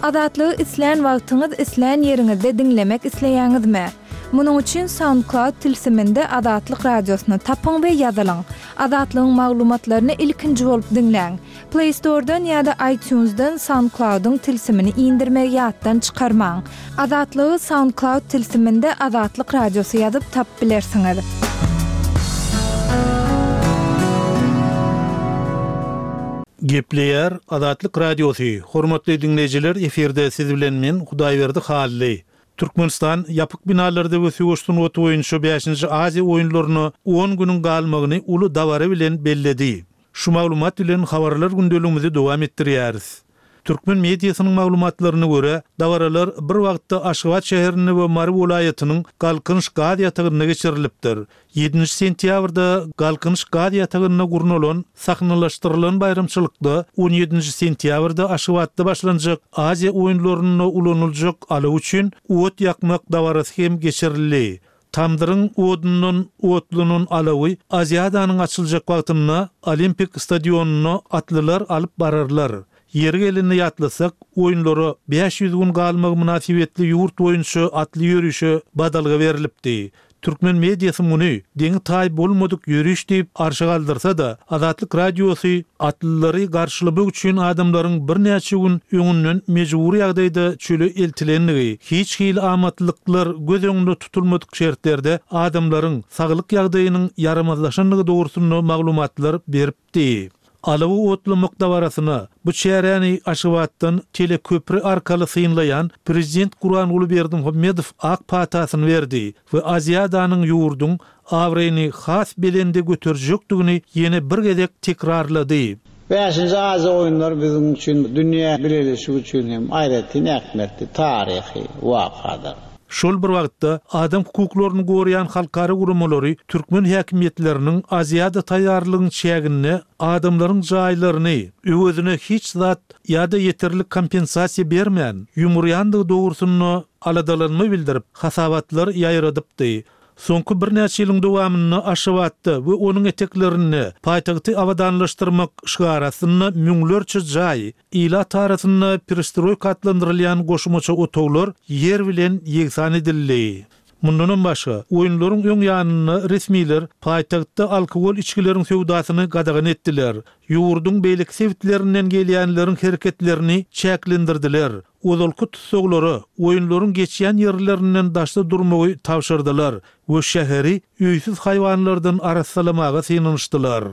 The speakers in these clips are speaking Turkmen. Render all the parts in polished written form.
Azatlygy islän wagtyňyz, islän ýeriňizde diňlemek isleýäňizmi? Munuň üçin SoundCloud tilsiminde Azatlyk Radiosyny tapyň we ýazylyň. Azatlygyň maglumatlaryny ilkinji bolup diňläň. Play Store-dan ýa-da iTunes-dan SoundCloud-yň tilsimini indirmegi ýatdan çykarmaň. Azatlygy SoundCloud tilsiminde Azatlyk Radiosy ýazyp tapyp bilersiňiz. Gepleýär Azatlyk Radiosy, Hormatly diňleýjiler efirde siz bilen men Hudaýberdi Hally. Türkmenistan ýapyk binalarda we söweş sungaty boýunça bäşinji Aziýa oýunlaryna on günüň galmagyny uly dabara bilen belledi. Şu maglumat bilen habarlar gündeligimizi dowam etdirýäris. Türkmen mediasynyň maglumatlaryna görä, dabaralar bir wagtda Aşgabat şäherinde we Mary welaýatynyň Galkynyş gaz ýatagynda geçirilipdir. Ýedinji sentýabrda Galkynyş gaz ýatagynda gurnalan sahnalaşdyrylan baýramçylykda on ýedinji sentýabrda Aşgabatda başlanjak Aziýa oýunlarynda ulanyljak alaw üçin ot ýakmak dabarasy hem geçirildi. Tamdyryň odundan otlanan alawy Aziadanyň açyljak wagtynda Olimpik stadionyna atlylar alyp bararlar. Ýeri gelende ýatlasak, oýunlara 500 gün galmagy mynasybetli ýurt boýunça atly ýörişe badalga berlipdi. Türkmen mediasy muny deňi-taýy bolmadyk ýöriş diýip arşa galdyrsa-da, Azatlyk Radiosy atlylary garşylamak üçin adamlaryň birnäçe gün öňünden mejbury ýagdaýda çöle eltilendigi, hiç hili amatlyklar göz öňünde tutulmadyk şertlerde adamlaryň saglyk ýagdaýynyň ýaramazlaşandygy dogrusynda maglumatlar beripdi. Alawy otlamak dabarasyna bu çäräni Aşgabatdan teleköpri arkaly synlaýan prezident Gurbanguly Berdimuhamedow ak patasyny berdi we Aziadanyň ýurduň abraýyny has belende göterjekdigini ýene bir gezek tekrarlady. Bäşinji Aziýa oýunlary biziň üçin, dünýä bileleşigi üçin hem aýratyn ähmiýetli taryhy wakadyr. Şol bir wagtda, adam hukuklaryny goraýan halkara guramalary türkmen häkimiýetleriniň Aziada taýýarlygyň çäginde adamlaryň jaýlaryny, öwezine hiç zat ýa-da ýeterlik kompensasiýa bermän, ýumurýandygy dogrusynda aladalanma bildirip, hasabatlar ýaýradypdy. Soňky birnäçe ýylyň dowamynda Aşgabatda we onuň eteklerinde paýtagty abadanlaşdyrmak şygary astynda müňlerçe jaý, ilat arasynda perestroýka atlandyrylýan goşmaça otaglar ýer bilen ýegsan edildi. Mundanam başga, oýunlaryň öň ýanynda resmiler paýtagtda alkogol içgileriň söwdasyny gadagan etdiler, ýurduň beýleki sebitlerinden gelýänleriň hereketlerini çäklendirdiler, ozalky tussaglara oýunlaryň geçýän ýerlerinden daşda durmagy tabşyrdylar we şäheri öýsüz haýwanlardan arassalamaga synanyşdylar.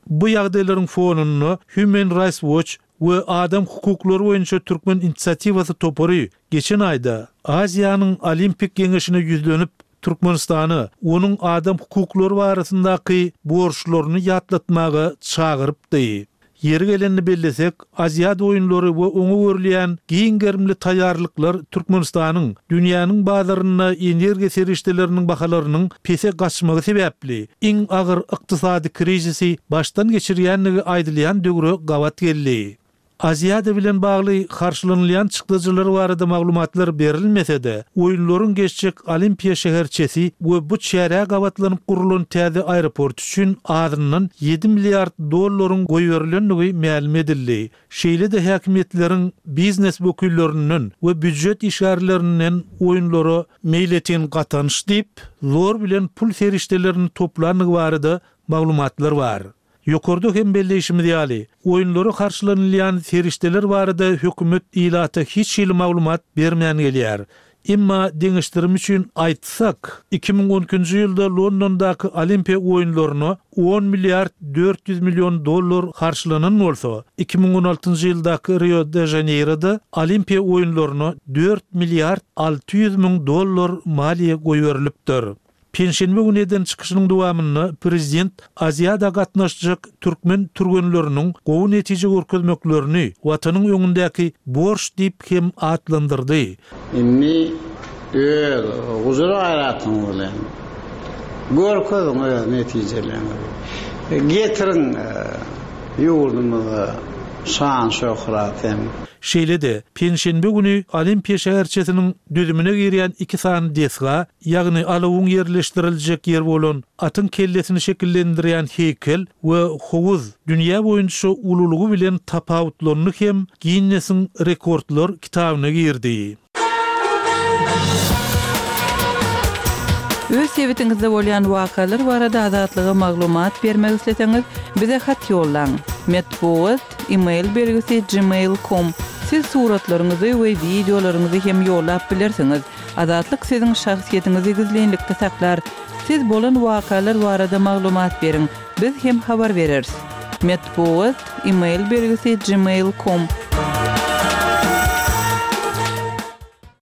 Bu ýagdaýlaryň fonunda Human Rights Watch we Adam hukuklary boýunça Türkmen inisiatiwasy topary geçen aýda Aziýanyň Olimpik geňeşine ýüzlenip, Türkmenistany onuň adam hukuklary barasyndaky borçlaryny ýatlatmaga çagyrypdy. Ýeri gelende bellesek, Aziada oýunlary we oňa görülýän giň gerimli taýýarlyklar Türkmenistanyň dünýäniň bazarynda energiýa serişdeleriniň bahalarynyň pese gaçmagy sebäpli iň agyr ykdysady krizisi başdan geçirýändigi aýdylýan döwre gabat geldi. Aziada bilen bagly harçlanylýan çykdajylar barada maglumatlar berilmese-de, oýunlaryň geçjek Olimpiýa şäherçesi we bu çärä gabatlanyp gurlan täze aeroport üçin azyndan ýedi milliard dollaryň goýberilendigi mälim edildi. Şeýle-de häkimiýetleriň biznes wekillerinden we býujet işgärlerinden oýunlara meýletin gatanyş diýip, zor bilen pul serişdelerini toplandygy barada maglumatlar bar. Ýokarda hem belleýşimiz ýaly, oýunlara harçlanylýan serişdeler barada hökümet ilata hiç hili maglumat bermän gelýär. Emma deňeşdirim üçin aýtsak, 2012-nji ýylda Londondaky Olimpiýa oýunlaryna on milliard 400 million dollar harçlanan bolsa, 2016-njy ýyldaky Rio-de-Žaneýroda Olimpiýa oýunlaryna dört milliard 600 müň dollar maliýe goýberilipdir. Penşenbe güni eden çykyşynyň dowamynda prezident Aziada gatnaşjak türkmen türgenleriniň gowy netije görkezmeklerini Watanyň öňündäki borç diýip hem atlandyrdy. Indi öz gujur-gaýratyňyz bilen görkeziň öz netijeleriňizi. Getiriň ýurdumyza şan-şöhrat hem. Şeýle-de, penşenbe güni Olimpiýa şäherçesiniň düzümine girýän iki sany desga, ýagny alawyň ýerleşdiriljek ýeri bolan atyň kellesini şekillendirýän heýkel we howuz dünýä boýunça ululygy bilen tapawutlandy hem Ginnesiň rekordlar kitabyna girdi. Öz sebitiňizde bolýan wakalar barada Azatlyga maglumat bermek isleseňiz, bize hat ýollaň. Metbugat, e-mail belgisi gmail com. Siz suratlaryňyzy we wideolaryňyzy hem ýollap bilersiňiz. Azatlyk siziň şahsyýetiňizi gizlinlikde saklar. Siz bolan wakalar barada maglumat beriň, biz hem habar bereris. Metbugat, e-mail belgisi gmail com.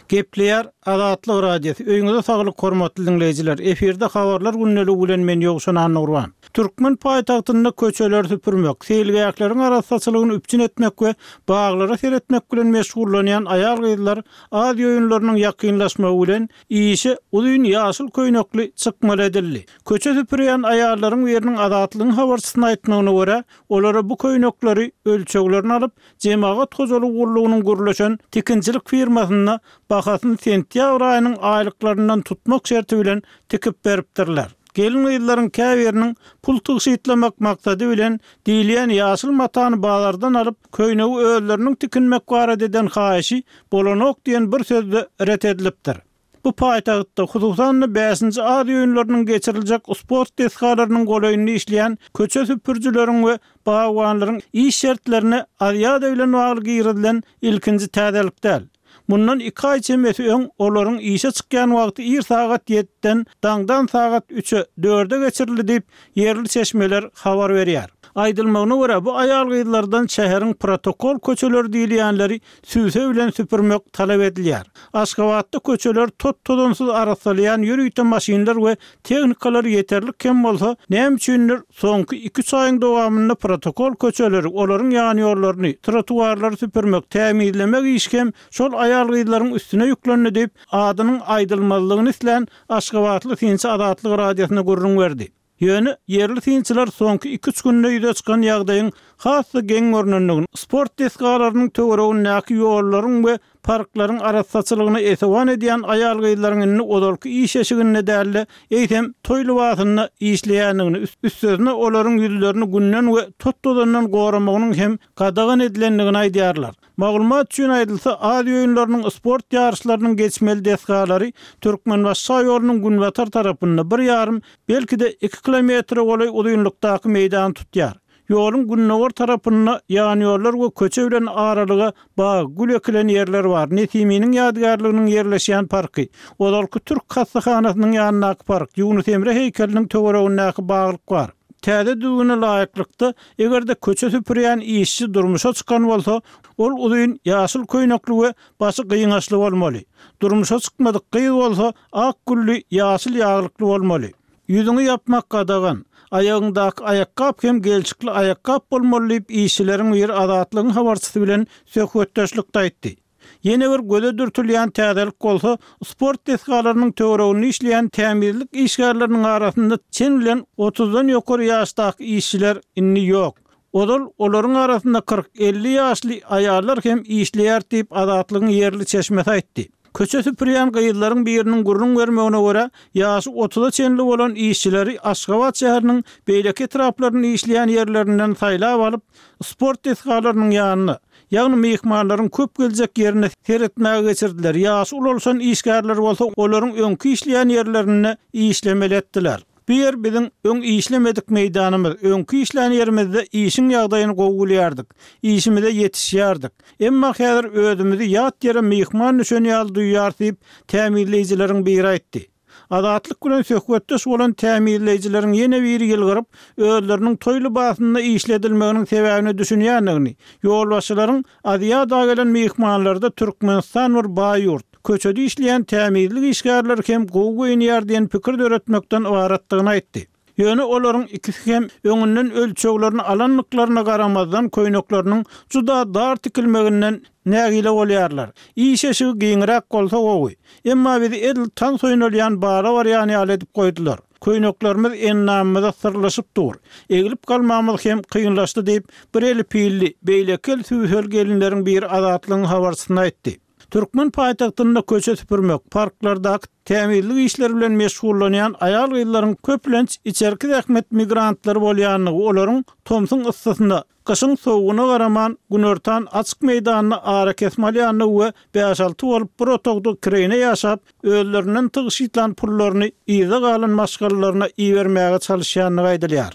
Gepleýär Azatlyk Radiosy, Öýüňize saglyk hormatly diňleýjiler! Efirde Habarlar gündeligi bilen men Ýowşan Annagurban. Türkmen paýtagtynda köçeleri süpürmek, seýilgähleriň arassaçylygyny üpjün etmek we baglara seretmek bilen meşgullanýan aýal-gyzlar Aziýa oýunlarynyň ýakynlaşmagy bilen işe uzyn ýaşyl köýnekli çykmaly edildi. Köçe süpürýän aýallaryň biriniň Azatlygyň habarçysyna aýtmagyna görä, olara bu köýnekleri ölçeglerini alyp, Jemagat hojalygy gullugynyň gürleşen tikinçilik firmasynda bahasyny sentýabr aýynyň aýlyklaryndan tutmak şerti bilen tikip beripdirler. Gelin-gyzlaryň käbiriniň pul tygşytlamak maksady bilen diýilýän ýaşyl matany bazardan alyp, köýnegi özleriniň tikinmek barada eden haýyşy bolanok diýen bir sözde ret edilipdir. Bu paýtagtda, hususan-da, bäşinji Aziýa oýunlarynyň geçiriljek sport desgalarynyň golaýynda işleýän köçe süpürijileriň we bagbanlaryň iş şertlerine Aziada bilen bagly girizilen ilkinji täzelik däl. Mundan iki aý çemesi öň olaryň işe çykýan wagty ir sagat ýediden daňdan sagat üçe, dörde geçirildi diýip, ýerli çeşmeler habar berýär. Aýdylmagyna görä, bu aýal-gyzlardan şäheriň protokol köçeleri diýilýänleri sübse bilen süpürmek talap edilýär. Aşgabatda köçeleri tot-tozansyz arassalaýan ýörite maşynlar we tehnikalar ýeterlik hem bolsa, näme üçindir, soňky iki-üç aýyň dowamynda protokol köçeleri, olaryň ýanýollaryny, trotuarlary süpürmek, tämizlemek işi hem şol aýal-gyzlaryň üstüne ýüklendi diýip, adynyň aýdylmazlygyny islän aşgabatly synçy Azatlyk Radiosyna gürrüň berdi. Ýöne ýerli synçylar soňky iki-üç günde ýüze çykan ýagdaýyň has-da geň görnendigini, sport desgalarynyň töweregindäki ýollaryň we parklaryň arassaçylygyna esewan edýän aýal-gyzlaryň indi ozalky iş eşiginde däl-de, eýsem, toý lybasynda işleýändigini, üstesine olaryň ýüzlerini günden we tot-tozandan goramagynyň hem gadagan edilendigini aýdýarlar. Maglumat üçin aýdylsa, Aziýa oýunlarynyň sport ýaryşlarynyň geçmeli desgalary Türkmenbaşy şaýolunyň günbatar tarapynda bir ýarym, belki-de iki kilometre golaý uzynlykdaky meýdany tutýar. Ýoluň gündogar tarapynda ýanýollar we köçe bilen aralyga bag, gül ekilen ýerler bar, Nesiminiň ýadygärliginiň ýerleşýän parky, ozalky türk hassahanasynyň ýanyndaky park, Ýunus Emre heýkeliniň töweregindäki baglyk bar. Täze düzgüne laýyklykda, eger-de köçe süpürýän işçi durmuşa çykan bolsa, ol uzyn ýaşyl köýnekli we başy gyňaçly bolmaly. Durmuşa çykmadyk gyz bolsa, ak gülli ýaşyl ýaglykly bolmaly. Ýüzüňi ýapmak gadagan. Aýagyňdaky aýakgap hem gelşikli aýakgap bolmaly diýip, işçileriň biri Azatlygyň habarçysy bilen söhbetdeşlikde aýtdy. Ýene bir göze dürtülýän täzelik bolsa, sport desgalarynyň töwereginde işleýän tämizlik işgärleriniň arasynda çen bilen otuzdan ýokary ýaşdaky işçiler indi ýok. Ozal olaryň arasynda 40, 50 ýaşly aýallar hem işleýärdi diýip, Azatlygyň ýerli çeşmesi aýtdy. Köçe süpürýän gyzlaryň biriniň gürrüň bermegine görä, ýaşy otuza çenli bolan işçileri Aşgabat şäheriniň beýleki etraplarynda işleýän ýerlerinden saýlap alyp, sport desgalarynyň ýanyna, Ýagny myhmanlaryň köp geljek ýerine seretmäge geçirdiler, ýaşy ulalşan işgärler bolsa olaryň öňki işleýän ýerlerinde işlemeli etdiler. Bu ýer biziň öň işlemedik meýdanymyz, öňki işlän ýerimizde işiň ýagdaýyny gowy bilýärdik, işimize ýetişýärdik. Emma häzir özümizi ýat ýere myhman düşen ýaly duýýarys diýip, tämizleýjileriň biri aýtdy. Azatlyk bilen söhbetdeş bolan tämizleýjileriň ýene biri ýylgyryp, özleriniň toý lybasynda işledilmeginiň sebäbine düşünýändigini, ýolbaşçylaryň Aziada gelen myhmanlarda Türkmenistan bir baý ýurt, köçede işleýän tämizlik işgärleri hem gowy geýinýär diýen pikir döretmekden ybaratdygyny aýtdy. Ýöne olaryň ikisi hem öňünden ölçeglerini alandyklaryna garamazdan köýnekleriniň juda dar tikilmeginden nägile bolýarlar. Iş eşigi giňräk bolsa gowy. Emma bizi edil tans oýnalýan bara barýan ýaly edip goýdular. Köýneklerimiz endamymyza syrlaşyp dur. Eglip galmagymyz hem kynlaşdy diýip, bir eli pilli, beýleki eli sübseli gelinleriň biri Azatlygyň habarçysyna aýtdy. Türkmen paýtagtynda köçe süpürmek, parklardaky tämizlik işleri bilen meşgullanýan aýal-gyzlaryň köplenç içerki zähmet migrantlary bolýandygy, olaryň tomsuň yssysyna, gyşyň sowugyna garaman, günortan açyk meýdanda arakesme alýandygy we bäş-alty bolup bir otagda kireýine ýaşap, özlerinden tygşytlan pullaryny yzda galan maşgalalaryna ibermäge çalyşýandygy aýdylýar.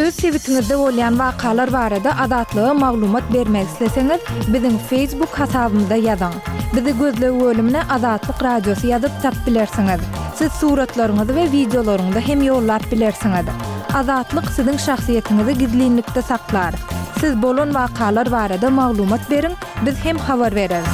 Öz sebitiňizde bolýan wakalar barada Azatlyga maglumat bermek isleseňiz, biziň Facebook hasabymyza ýazyň. Bizi gözleg bölümine Azatlyk Radiosy ýazyp tap bilersiňiz. Siz suratlaryňyzy we wideolaryňyzy hem ýollap bilersiňiz. Azatlyk siziň şahsyýetiňizi gizlinlikde saklar. Siz bolan wakalar barada maglumat beriň, biz hem habar bereris.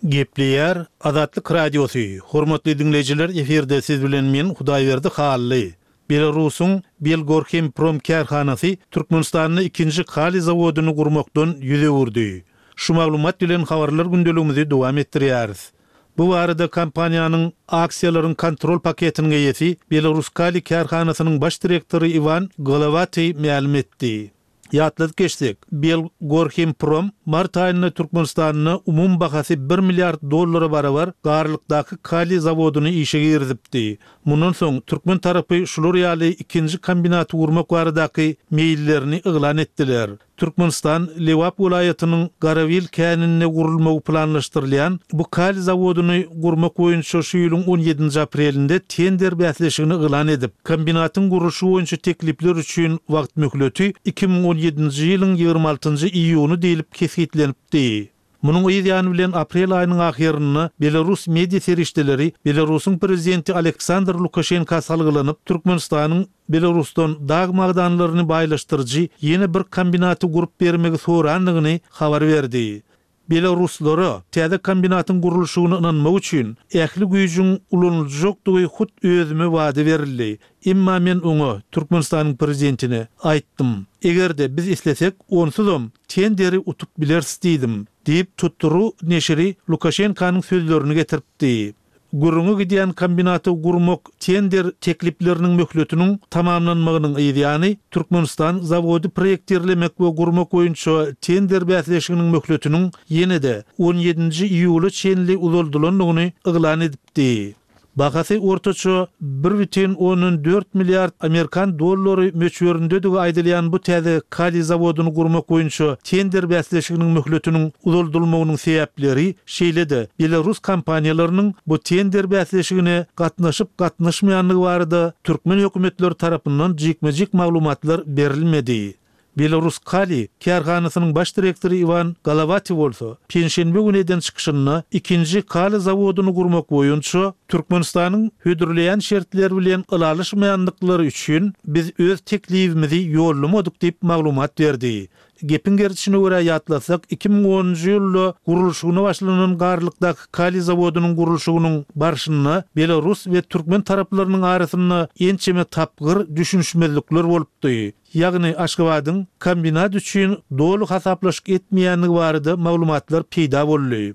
Gepleýär Azatlyk Radiosy, Hormatly diňleýjiler efirde siz bilen men Hudaýberdi Hally. Belarusyň Belgorhemprom kärhanasy Türkmenistanda ikinji kaliý zawodyny gurmakdan ýüz öwürdi. Şu maglumat bilen habarlar gündeligimizi dowam etdirýäris. Bu barada kompaniýanyň aksiýalaryň kontrol paketiniň eýesi Belaruskaliý kärhanasynyň baş direktory Iwan Golowatyý mälim etdi. Ýatladyp geçsek, Belgorhimprom mart aýynda Türkmenistanda umumy bahasy bir milliard dollara barabar Garlykdaky kaliý zawodyny işe girizipdi. Mundan soň türkmen tarapy şular ýaly ikinji kombinaty gurmak baradaky meýillerini yglan etdiler. Türkmenistan Lebap welaýatynyň Garabil käninde gurulmagy planlaşdyrylýan bu kaliý zawodyny gurmak boýunça şu ýylyň on ýedinji aprelinde tender bäsleşigini yglan edip, kombinatyň gurluşygy boýunça teklipler üçin wagt möhleti 2017-nji ýylyň 26-njy iýuny diýlip kesgitlenipdi. Munuň yz ýany bilen aprel aýynyň ahyrynda belarus media serişdeleri Belarusyň prezidenti Aleksandr Lukaşenka salgylanyp, Türkmenistanyň Belarusdan dag magdanlaryny baýlaşdyryjy ýene bir kombinaty gurup bermegi sorandygyny habar berdi. Belaruslara täze kombinatyň gurluşygyny ynanmak üçin ähli güýjüň ulanyljakdygy hut özüme wada berildi. Emma men oňa, Türkmenistanyň prezidentine, aýtdym, eger-de biz islesek, onsuzam tenderi utup bileris diýdim, diýip, Tutru neşiri Lukaşenkanyň sözlerini getiripdi. Gürrüňi gidýän kombinaty gurmak tender teklipleriniň möhletiniň tamamlanmagynyň yz ýany, Türkmenistan zawody proýektirlemek we gurmak boýunça tender bäsleşiginiň möhletiniň ýene-de on ýedinji iýula çenli uzaldylandygyny yglan edipdi. Bahasy ortaça bir bütin ondan dört milliard amerikan dollary möçberindedigi aýdylýan bu täze kaliý zawodyny gurmak boýunça tender bäsleşiginiň möhletiniň uzaldylmagynyň sebäpleri, şeýle-de belarus kompaniýalarynyň bu tender bäsleşigine gatnaşyp-gatnaşmaýandygy barada türkmen hökümetleri tarapyndan jikme-jik maglumatlar berilmedi. Belaruskaliý kärhanasynyň baş direktory Iwan Golowatiý bolsa, penşenbe güni eden çykyşynda ikinji kaliý zawodyny gurmak boýunça Türkmenistanyň hödürleýän şertleri bilen ylalaşmaýandyklary üçin biz öz teklibimizi ýollamadyk diýip maglumat berdi. Gepiň gerdişine görä ýatlasak, 2010-njy ýylda gurluşygyna başlanan Garlykdaky kaliý zawodynyň gurluşygynyň barşynda belarus we türkmen taraplarynyň arasynda ençeme tapgyr düşünişmezlikler bolupdy. Ýagny Aşgabadyň kombinat üçin doly hasaplaşyk etmeýändigi barada maglumatlar peýda boldy.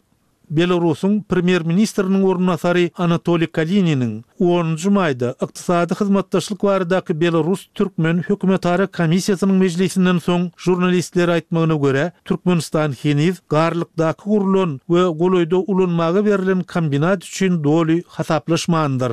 Belarusyň premýer-ministriniň orunbasary Anatoliý Kalininiň onunjy maýda Ykdysady hyzmatdaşlyk baradaky belarus-türkmen hökümetara komissiýasynyň mejlisinden soň žurnalistlere aýtmagyna görä, Türkmenistan heniz Garlykdaky gurlan we golaýda ulanmaga berlen kombinat üçin doly hasaplaşmandyr.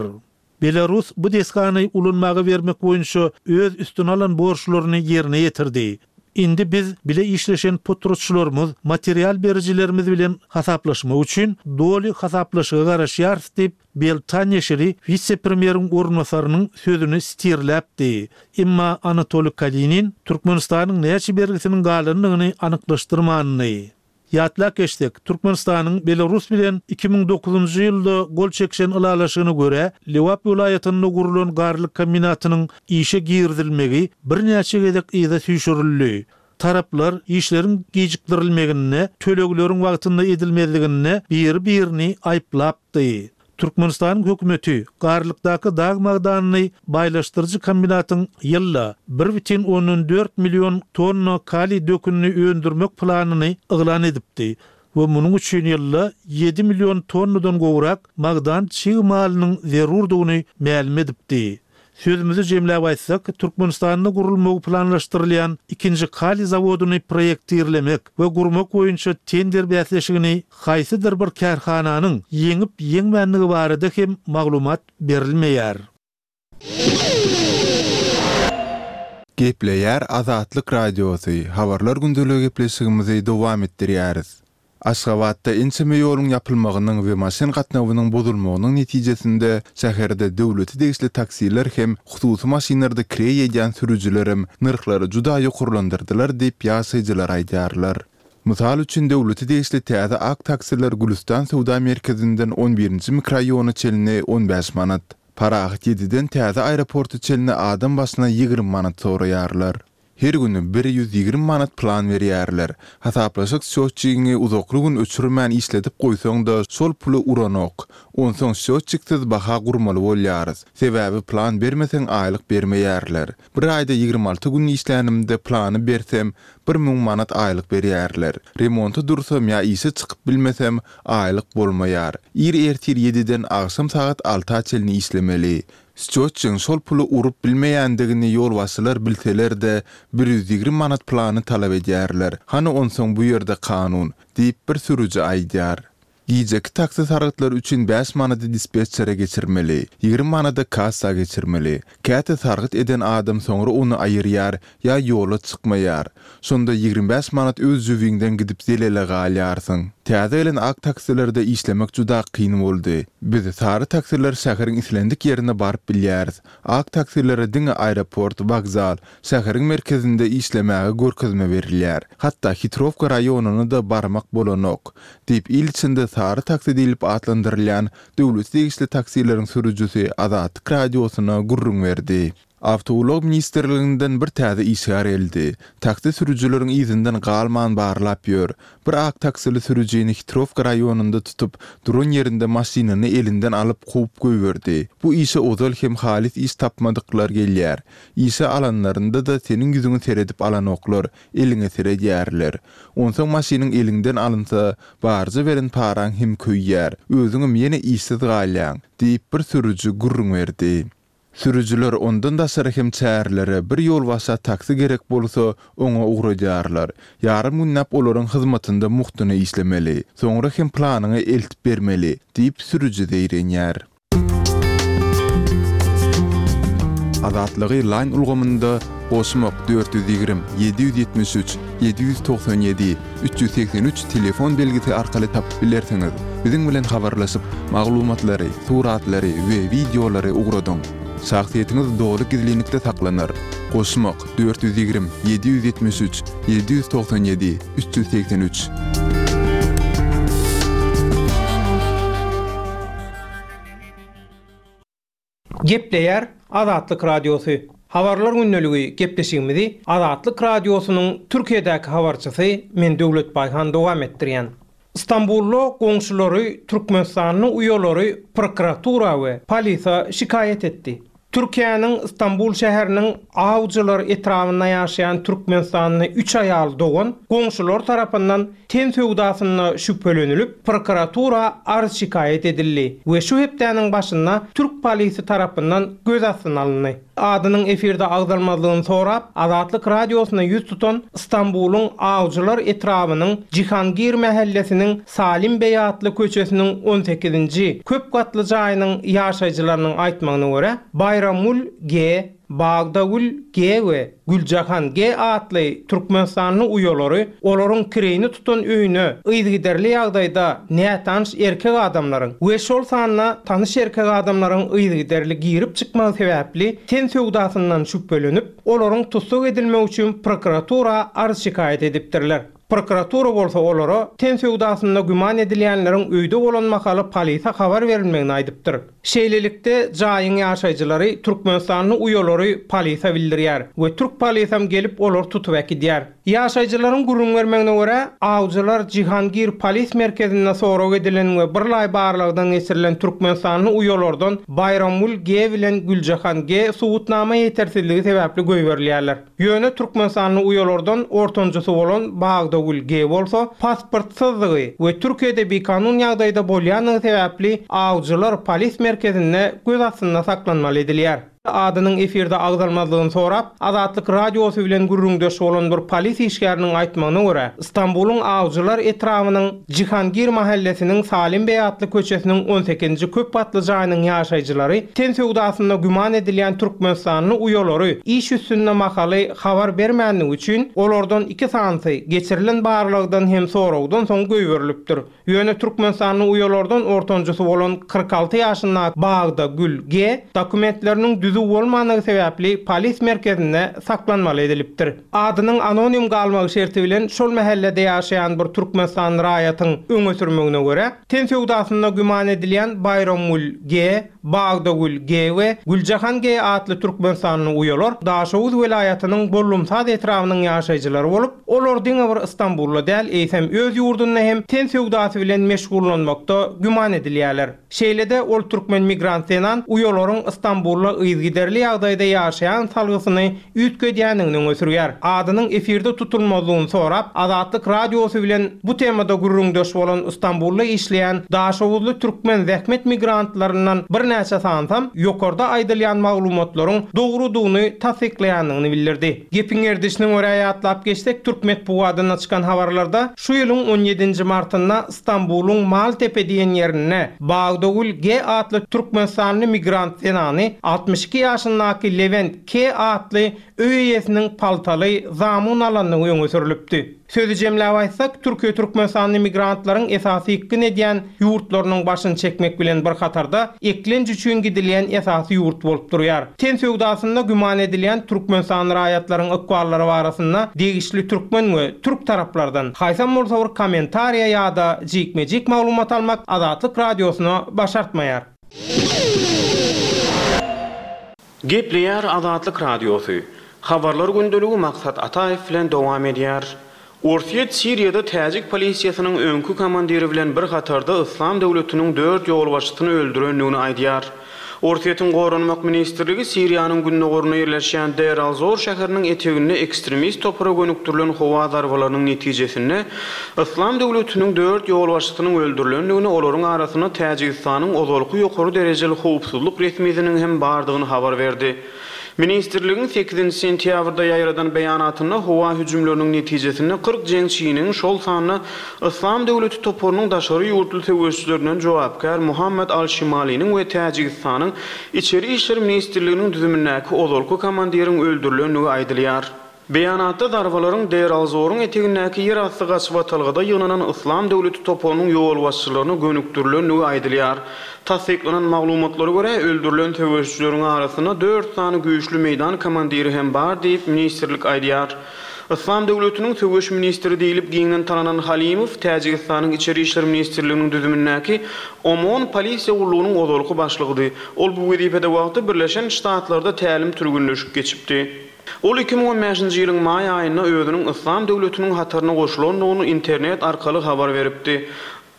Belarus bu desgany ulanmaga bermek boýunça öz üstüne alan borçlaryny ýerine ýetirdi. Indi biz bile işleşen potratçylarymyz, material berijilerimiz bilen hasaplaşmak üçin doly hasaplaşyga garaşýarys diýip, Belta neşiri wise-premýeriň orunbasarynyň sözüni sitirläpdi. Emma Anatoliý Kalinin Türkmenistanyň näçe bergisiniň galandygyny anyklaşdyrmandy. Ýatlap geçsek, Türkmenistanyň Belarus bilen 2009-njy ýylda gol çekişen ylalaşygyna görä, Lebap welaýatynda gurlan garlyk kombinatynyň işe girizilmegi birnäçe gezek yza süýşürildi. Taraplar işleriň gijikdirilmeginde, tölegleriň wagtynda edilmezliginde biri-birini aýyplapdy. Türkmenistanyň hökümeti Garlykdaky dag magdanyny baýlaşdyryjy kombinatyň ýylda bir bütin ondan dört million tonna kaliý dökünini öndürmek planyny yglan edipdi we munuň üçin ýylda ýedi million tonnadan gowrak magdan çig malynyň zerurdygyny mälim edipdi. Sözümizi jemläp aýtsak, Türkmenistanda gurulmagy planlaşdyrylýan ikinji kaliý zawodyny proýektirlemek we gurmak boýunça tender bäsleşigini haýsydyr bir kärhananyň ýeňip-ýeňmändigi barada hem maglumat berilmeýär. Gepleýär Azatlyk Radiosy, Habarlar gündeligi gepleşigimizi dowam etdirýäris. Aşgabatda ençeme ýoluň ýapylmagynyň we maşyn gatnawynyň bozulmagynyň netijesinde şäherde döwlete degişli taksiler hem hususy maşynlarda kireý edýän sürüjilerem nyrhlary juda ýokarlandyrdylar diýip ýaşaýjylar aýdýarlar. Mysal üçin döwlete degişli täze ak taksiler Gülüstan söwda merkezinden on birinji mikroraýona çenli 15 manat, Parahat ýediden täze aeroporta çenli adam başyna 20 manat soraýarlar. Her güni 120 manat plan berýärler. Hasaplaşyk sçýotçigiňi uzakly gün öçürmän işledip goýsaň-da şol puly uranok. Onsoň sçýotçiksiz baha gurmaly bolýarys. Sebäbi plan bermeseň aýlyk bermeýärler. Bir aýda 26 gün işlänimde plany bersem 1000 manat aýlyk berýärler. Remonta dursam ýa işe çykyp bilmesem aýlyk bolmaýar. Ir ertir ýediden agşam sagat alta çenli işlemeli. Sçýotçyň şol puly urup bilmeýändigini ýolbaşçylar bilseler-de, 120 manat plany talap edýärler. Hany onsoň bu ýerde kanun? diýip, bir sürüji aýdýar. Gijeki taksi sargytlary üçin bäş manady dispetçere geçirmeli, 20 manady kassa geçirmeli. Käte sargyt eden adam soňra ony aýyrýar ýa ýola çykmaýar. Şonda 25 manat öz jübiňden gidip zelele galýarsyň. Täze gelen ak taksilerde işlemek juda kyn boldy. Biz sary taksiler şäheriň islendik ýerine baryp bilýäris. Ak taksilere diňe aeroport, wokzal, şäheriň merkezinde işlemäge görkezme berilýär. Hatda Hitrowka raýonyna-da barmak bolanok, diýip, il içinde sary taksi diýlip atlandyrylýan döwlete degişli taksileriň sürüjisi Azatlyk Radiosyna gürrüň berdi. Awtoulag ministrliginden bir täze işgär geldi. Taksi sürüjileriň yzyndan galman barlap ýör. Bir ak taksili sürüjini Hitrowka raýonynda tutup, duran ýerinde maşynyny elinden alyp kowup goýberdi. Bu işe ozal hem halys iş tapmadyklar gelýär. Işe alanlarynda-da seniň ýüzüňe seredip alanoklar, eliňe seredýärler. Onsoň maşynyň eliňden alynsa, barja beren paraň hem köýýär, özüňem ýene işsiz galýaň, diýip, bir sürüji gürrüň berdi. Sürüjiler ondan daşary hem çärelere bir ýolbaşça taksi gerek bolsa, oňa ugradýarlar. Ýarym günläp olaryň hyzmatynda mugtuna işlemeli. Soňra hem planyňy eltip bermeli, diýip, sürüji zeýrenýär. Azatlygy Line ulgamynda goşmak 420 773 797 383 telefon belgisi arkaly tapyp bilersiňiz. Biziň bilen habarlaşyp, maglumatlary, suratlary we wideolary ugradyň. Şahsyýetiňiz doly gizlinlikde saklanar. Goşmak, 420 773 797 383. Gepleýär Azatlyk Radiosy. Habarlar gündeligi gepleşigimizi Azatlyk Radiosynyň Türkiýedäki habarçysy men Döwlet Baýhan dowam etdirýän. Stambulda goňşulary türkmenistanly uýalary prokuratura we polise şikaýat etdi. Türkiýäniň Stambul şäheriniň Awjylar etrabynda ýaşaýan türkmenistanly üç aýal dogan goňşulary tarapyndan ten söwdasynda şübhelenilip, prokuratura arz-şikaýat edildi we şu hepdäniň başynda türk polisi tarapyndan göz astyna alyndy. Adynyň efirde agzalmazlygyny sorap, Azatlyk Radiosyna ýüz tutan Stambulyň Awjylar etrabynyň Jihangir mähellesiniň Salim beý atly köçesiniň on sekizinji köp gatly jaýynyň ýaşaýjylarynyň aýtmagyna görä, Baýramgül G. Bagdagül G. we Güljahan G. atly türkmenistanly uýalary olaryň kireýini tutan öýüne yzygiderli ýagdaýda nätanyş erkek adamlaryň we şol sanda tanyş erkek adamlaryň yzygiderli girip çykmagy sebäpli ten söwdasyndan şübhelenip, olaryň tussag edilmegi üçin prokuratura arz-şikaýat edipdirler. Prokuratura bolsa olara ten söwdasynda güman edilýänleriň öýde bolan mahaly polise habar berilmegini aýdypdyr. Şeýlelikde, jaýyň ýaşaýjylary türkmenistanly uýalary polise bildirýär we türk polisem gelip olary tutup äkidýär. Ýaşaýjylaryň gürrüň bermegine görä, awjylar Jihangir polis merkezinde sorag edilen we birlaý barlagdan geçirilen türkmenistanly uýalardan Baýramgül G. bilen Güljahan G. subutnama ýetersizligi sebäpli goýberilýärler. Ýöne türkmenistanly uýalardan ortanjysy bolan Bagdagül G. bolsa pasportsyzdygy we Türkiýede bikanun ýagdaýda bolýandygy sebäpli awjylar polis merkezinde göz astynda saklanmaly edilýär. Adynyň efirde agzalmazlygyny sorap, Azatlyk Radiosy bilen gürrüňdeş bolan bir polis işgäriniň aýtmagyna görä, Stambulyň Awjylar etrabynyň Jihangir mahellesiniň Salim beý atly köçesiniň on sekizinji köp gatly jaýynyň ýaşaýjylary ten söwdasynda güman edilýän türkmenistanly uýalary iş üstünde mahaly habar bermänligi üçin, olardan iki sanysy geçirilen barlagdan hem soragdan soň goýberilipdir. Ýöne türkmenistanly uýalardan ortanjysy bolan 46 ýaşyndaky Bagda Gül G. dokumentleriniň düzüw bolmandygy sebäpli polis merkezinde saklanmaly edilipdir. Adynyň anonim galmagy şerti bilen şol mähellede ýaşaýan bir türkmenistanly raýatyň öňe sürmegine görä, ten söwdasynda güman edilýän Baýramgül G. Bagdagül G. we Güljahan G. atly türkmenistanly uýalar Daşoguz welaýatynyň Bollumsaz etrabynyň ýaşaýjylary bolup, olar diňe bir Stambulda däl, eýsem öz ýurdunda hem ten söwdasy bilen meşgullanmakda güman edilýärler. Şeýle-de, ol türkmen migrant zenan uýalaryň Stambulda yzygiderli ýagdaýda ýaşaýan salgysyny üýtgedýändigini öňe sürýär. Adynyň efirde tutulmazlygyny sorap, Azatlyk Radiosy bilen bu temada gürrüňdeş bolan Stambulda işleýän daşoguzly türkmen zähmet migrantlaryndan birnäçe sanysam ýokarda aýdylýan maglumatlaryň dogrudygyny tassyklaýandygyny bildirdi. Gepiň gerdişine görä ýatlap geçsek, türk metbugadynda çykan habarlarda şu ýylyň on ýedinji martynda Stambulyň Maltepe diýen ýerinde Bagdagül G. atly türkmenistanly migrant zenany 62 ýaşyndaky Lewent K. atly öý eýesiniň paltaly zamun alandygy öňe sürlüpdi. Sözi jemläp aýtsak, Türkiýe türkmenistanly migrantlaryň esasy ýykgyn edýän ýurtlarynyň başyny çekmek bilen bir hatarda, eklenç üçin gidilýän esasy ýurt bolup durýar. Ten söwdasynda güman edilýän türkmenistanly raýatlaryň ykballary barasynda degişli türkmen we türk taraplardan haýsam bolsa bir kommentariýa ýa-da jikme-jik maglumat almak Azatlyk Radiosyna başartmaýar. Gepleýär Azatlyk Radiosy. Habarlar gündeligi Maksat Ataýew bilen dowam edýär. Orsýet Siriýada täjik polisiýasynyň öňki komandiri bilen bir hatarda Yslam döwletiniň dört ýolbaşçysyny öldürendigini aýdýar. Orsýetiň Goranmak ministrligi Siriýanyň gündogarynda ýerleşýän Deir al-Zor şäheriniň eteginde ekstremist topara gönükdirilen howa zarbalarynyň netijesinde Yslam döwletiniň dört ýolbaşçysynyň öldürilendigini, olaryň arasynda Täjigistanyň ozalky ýokary derejeli howpsuzlyk resmisiniň hem bardygyny habar berdi. Ministrligiň sekizinji sentýabrda ýaýradan beýanatynda howa hüjümleriniň netijesinde 40 jeňçiniň, şol sanda Yslam döwleti toparynyň daşary ýurtly söweşijilerinden jogapkär Muhammad al-Şimaliniň we Täjigistanyň Içeri işler ministrliginiň düzümindäki ozalky komandiriň öldürilendigi aýdylýar. Beýanatda zarbalaryň Deir-al-Zoruň etegindäki ýerasty gaçybatalgada ýygnanan Yslam döwleti toparynyň ýolbaşçylaryna gönükdirilendigi aýdylýar. Tassyklanan maglumatlara görä, öldürilen söweşijileriň arasynda dört sany güýçli meýdan komandiri hem bar diýip, ministrlik aýdýar. Yslam döwletiniň söweş ministri diýlip giňden tananan Halimow Täjigistanyň Içeri işler ministrliginiň düzümindäki OMON polisiýa gullugynyň ozalky başlygydy. Ol bu wezipede wagty Birleşen Ştatlarda tälim-türgenleşik geçipdi. Ol 2015-nji ýylyň maý aýynda özüniň Yslam döwletiniň hataryna goşulandygyny internet arkaly habar beripdi.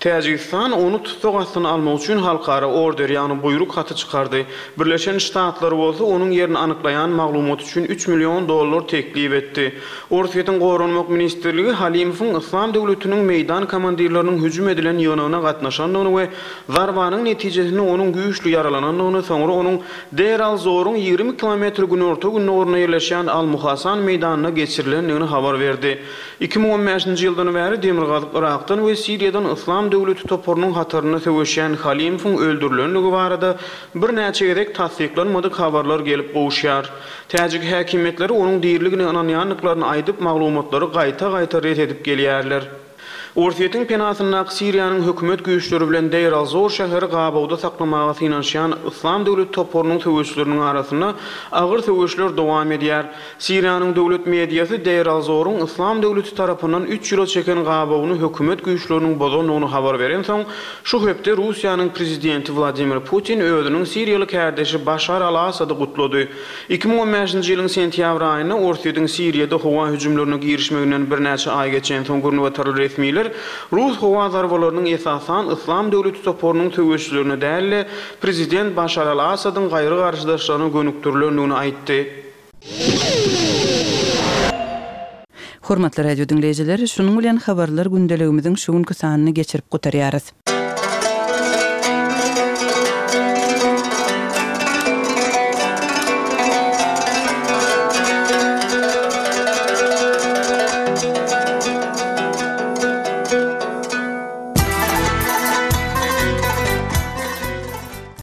Täjigistan ony tussag astyna almak üçin halkara order, ýagny buýruk haty çykardy. Birleşen Ştatlar bolsa onuň ýerini anyklaýan maglumat üçin üç million dollar teklip etdi. Orsýetiň Goranmak ministrligi Halimowyň Yslam döwletiniň meýdan komandirleriniň hüjüm edilen ýygnagyna gatnaşandygyny we zarbanyň netijesinde onuň güýçli ýaralanandygyny, soňra onuň Deir al-Zoruň 20 kilometr günorta-gündogarynda ýerleşýän Al-Muhasan meýdanyna geçirilendigini habar berdi. 2015-nji ýyldan bäri Demirgazyk Yrakdan we Siriýadan Yslam döwleti toparynyň hatarynda söweşýän Halimowyň öldürilendigi barada birnäçe gezek tassyklanmadyk habarlar gelip gowuşýar. Täjik häkimiýetleri onuň diriligine ynanýandyklaryny aýdyp, maglumatlary gaýta-gaýta ret edip gelýärler. Orsýetiň penasyndaky Siriýanyň hökümet güýçleri bilen Deir-al-Zor şäheri gabawda saklamaga synanyşýan Yslam döwleti toparynyň söweşijileriniň arasynda agyr söweşler dowam edýär. Siriýanyň döwlet mediasy Deir-al-Zoruň Yslam döwleti tarapyndan üç ýyla çeken gabawyny hökümet güýçleriniň bozandygyny habar berensoň, şu hepde Russiýanyň prezidenti Wladimir Putin özüniň siriýaly kärdeşi Başar al-Assady gutlady. 2015-nji ýylyň sentýabr aýynda Orsýetiň Siriýada howa hüjümlerine girişmeginden birnäçe aý geçensoň günbatarly resmiler rus howa zarbalarynyň esasan Yslam döwleti toparynyň söweşijilerine däl-de, prezident Başar al-Assadyň gaýry garşydaşlaryna gönükdirilendigini aýtdy. Hormatly radio diňleýjiler, şunuň bilen Habarlar gündeligimiziň şu günki sanyny geçirip gutarýarys.